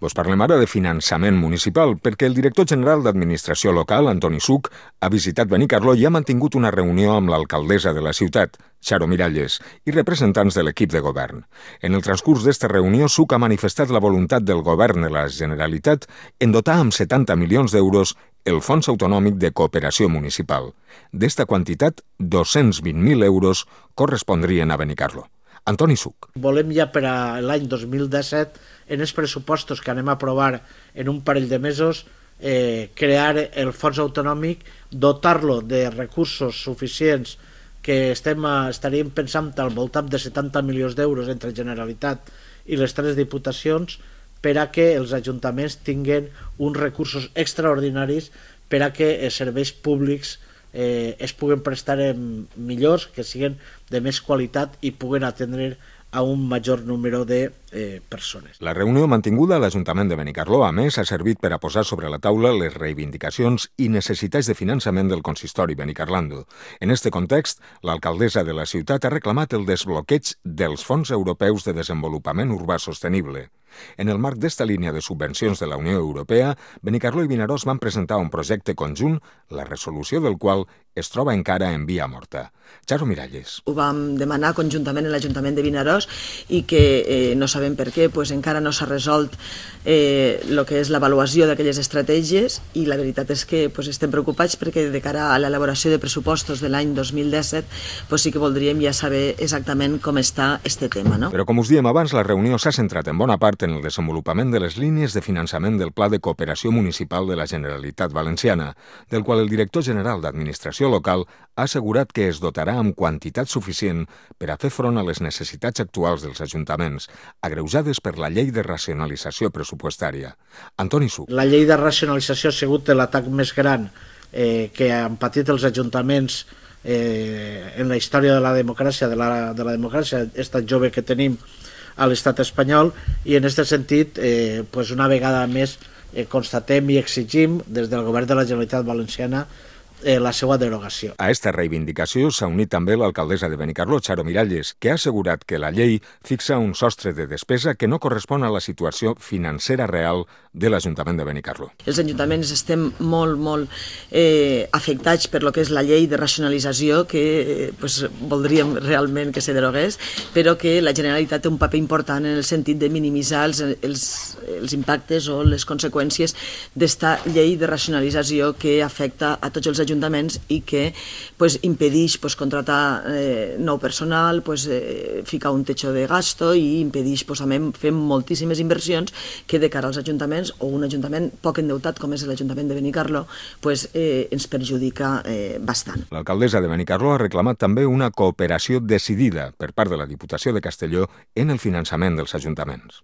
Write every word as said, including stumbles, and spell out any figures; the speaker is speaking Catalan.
Vos parlem ara de finançament municipal, perquè el director general d'Administració Local, Antoni Such, ha visitat Benicarló i ha mantingut una reunió amb l'alcaldessa de la ciutat, Charo Miralles, i representants de l'equip de govern. En el transcurs d'esta reunió, Such ha manifestat la voluntat del govern de la Generalitat en dotar amb setanta milions d'euros el Fons Autonòmic de Cooperació Municipal. D'esta quantitat, dos-cents vint mil euros correspondrien a Benicarló. Antoni Such. Volem ja per a l'any dos mil disset, en els pressupostos que anem a aprovar en un parell de mesos, eh, crear el fons autonòmic, dotar-lo de recursos suficients que estem, estaríem pensant al voltant de setanta milions d'euros entre Generalitat i les tres diputacions per a que els ajuntaments tinguin uns recursos extraordinaris per a que els serveis públics eh, es puguen prestar millors, que siguin de més qualitat i puguen atendre a un major número de eh, persones. La reunió mantinguda a l'Ajuntament de Benicarló, a més, ha servit per a posar sobre la taula les reivindicacions i necessitats de finançament del consistori benicarlando. En este context, l'alcaldessa de la ciutat ha reclamat el desbloqueig dels fons europeus de desenvolupament urbà sostenible. En el marc d'esta línia de subvencions de la Unió Europea, Benicarló i Vinaròs van presentar un projecte conjunt, la resolució del qual es troba encara en via morta. Charo Miralles. Ho vam demanar conjuntament en l'Ajuntament de Vinaròs i que eh, no sabem per què, pues encara no s'ha resolt eh, el que és l'avaluació d'aquelles estratègies i la veritat és que pues, estem preocupats perquè de cara a l'elaboració de pressupostos de l'any dos mil disset pues, sí que voldríem ja saber exactament com està este tema. No? Però com us diem abans, la reunió s'ha centrat en bona part en el desenvolupament de les línies de finançament del Pla de Cooperació Municipal de la Generalitat Valenciana, del qual el director general d'Administració Local ha assegurat que es dotarà amb quantitat suficient per a fer front a les necessitats actuals dels ajuntaments, agreujades per la llei de racionalització pressupostària. Antoni Such. La llei de racionalització ha sigut l'atac més gran eh, que han patit els ajuntaments eh, en la història de la democràcia, de la, de la democràcia, esta jove que tenim a l'estat espanyol, i en aquest sentit, eh, pues una vegada més eh, constatem i exigim des del govern de la Generalitat Valenciana Eh, la seva derogació. A esta reivindicació s'ha unit també l'alcaldessa de Benicarló, Charo Miralles, que ha assegurat que la llei fixa un sostre de despesa que no correspon a la situació financera real de l'Ajuntament de Benicarló. Els ajuntaments estem molt, molt eh, afectats per lo que és la llei de racionalització, que eh, pues, voldríem realment que se derogués, però que la Generalitat té un paper important en el sentit de minimitzar els, els, els impactes o les conseqüències d'esta llei de racionalització que afecta a tots els ajuntaments ajuntaments i que pues, impedeix pues, contratar eh, nou personal, pues, eh, ficar un techo de gasto i impedeix pues, fer moltíssimes inversions que de cara als ajuntaments o un ajuntament poc endeutat com és l'Ajuntament de Benicarló pues, eh, ens perjudica eh, bastant. L'alcaldessa de Benicarló ha reclamat també una cooperació decidida per part de la Diputació de Castelló en el finançament dels ajuntaments.